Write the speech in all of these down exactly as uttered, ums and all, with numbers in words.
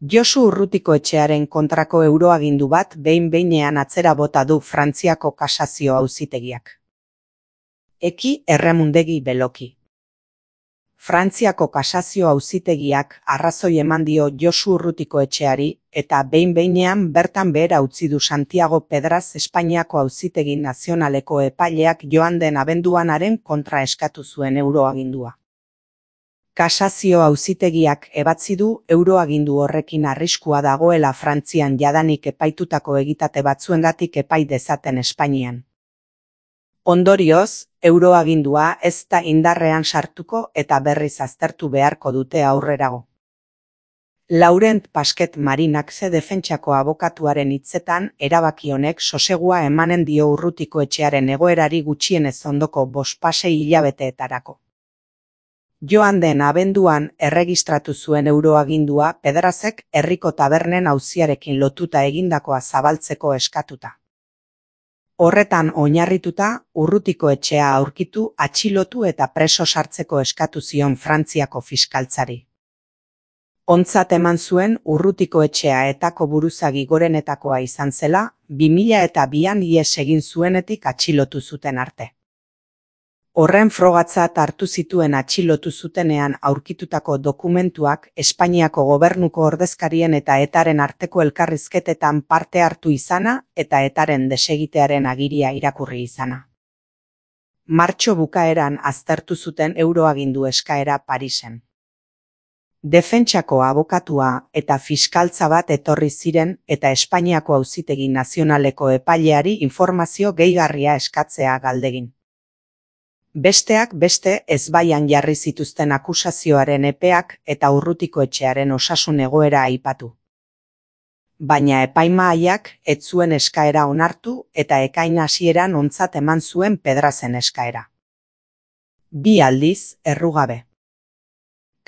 Josu Urrutikoetxearen kontrako euroagindu bat behin-behinean atzera bota du Frantziako kasazio auzitegiak. Eki erremundegi beloki. Frantziako kasazio auzitegiak arrazoi eman dio Josu Urrutikoetxeari eta behin-behinean bertan behera utzi du Santiago Pedraz Espainiako Auzitegi Nazionaleko epaileak joan den abenduanaren kontra eskatu zuen euroagindua. Kasazio auzitegiak ebatzi du euroagindu horrekin arriskua dagoela Frantzian jadanik epaitutako egitate batzuengatik epai dezaten Espainian. Ondorioz, euroagindua ez da indarrean sartuko eta berriz aztertu beharko dute aurrerago. Laurent Pasquet Marinaxe defentsako abokatuaren hitzetan erabaki honek sosegua emanen dio Urrutikoetxearen egoerari gutxienez ondoko bospasei hilabeteetarako. Joan den abenduan erregistratu zuen euroagindua Pedrazek herriko tabernen auziarekin lotuta egindakoa zabaltzeko eskatuta. Horretan oinarrituta, Urrutikoetxea aurkitu, atxilotu eta preso sartzeko eskatu zion Frantziako fiskaltzari. Ontzat eman zuen Urrutikoetxea etako buruzagi gorenetakoa izan zela, bi mila eta bian ihes egin zuenetik atxilotu zuten arte. Horren frogatzat hartu zituen atxilotu zutenean aurkitutako dokumentuak Espainiako gobernuko ordezkarien eta etaren arteko elkarrizketetan parte hartu izana eta etaren desegitearen agiria irakurri izana. Martxo bukaeran aztertu zuten euroagindu eskaera Parisen. Defentsako abokatua eta fiskaltza bat etorri ziren eta Espainiako Auzitegi Nazionaleko epaileari informazio gehigarria eskatzea galdegin. Besteak beste ezbaian jarri zituzten akusazioaren epeak eta Urrutikoetxearen osasun egoera aipatu. Baina epaimahaiak ez zuen eskaera onartu eta ekain hasieran ontzat eman zuen Pedrazen eskaera. Bi aldiz, errugabe.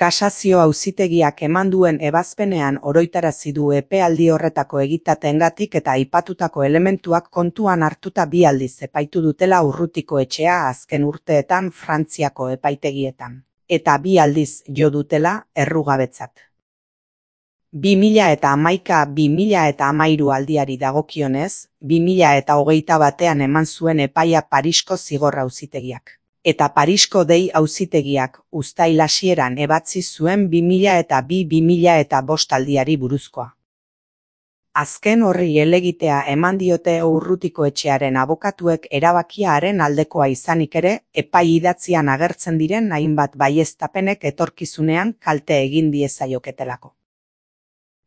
Kasazio auzitegiak eman duen ebazpenean oroitarazi du epealdi horretako egitateengatik eta aipatutako elementuak kontuan hartuta bi aldiz epaitu dutela Urrutikoetxea azken urteetan Frantziako epaitegietan, eta bi aldiz jo dutela errugabetzat. bi mila eta hamaika bi mila eta hamairu aldiari dagokionez, bi mila eta hogeita batean eman zuen epaia Parisko zigor auzitegiak. Eta Parisko dei auzitegiak uztail hasieran ebatzi zuen bi mila eta bi bi mila eta bost aldiari buruzkoa. Azken horri helegitea eman diote Urrutikoetxearen abokatuek erabakiaren aldekoa izanik ere, epai idatzian agertzen diren hainbat baieztapenek etorkizunean kalte egin diezaioketelako.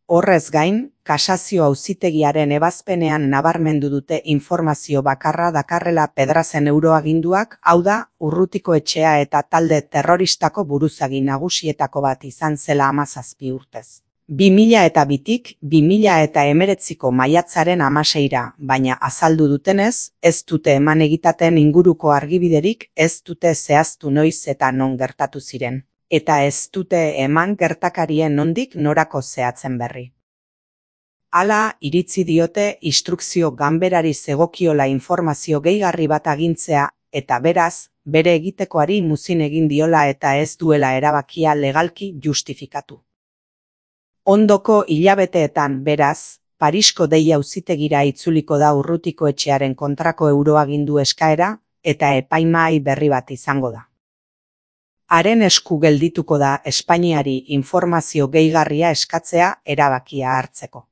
Horrez gain, kasazio auzitegiaren ebazpenean nabarmendu dute informazio bakarra dakarrela Pedrazen euroaginduak, hau da, Urrutikoetxea eta talde terroristako buruzagi nagusietako bat izan zela hamazazpi urtez. bi mila eta bitik bi mila eta hemeretziko maiatzaren hamaseira, baina azaldu dutenez, ez dute eman egitaten inguruko argibiderik, ez dute zehaztu noiz eta non gertatu ziren. Eta ez dute eman gertakarien nondik norako zehatzen berri. Hala, iritzi diote instrukzio ganberari zegokiola informazio gehigarri bat agintzea, eta beraz, bere egitekoari muzin egin diola eta ez duela erabakia legalki justifikatu. Ondoko hilabeteetan, beraz, Parisko dei auzitegira itzuliko da Urrutikoetxearen kontrako euroagindu eskaera, eta epaimahai berri bat izango da. Haren esku geldituko da Espainiari informazio gehigarria eskatzea erabakia hartzeko.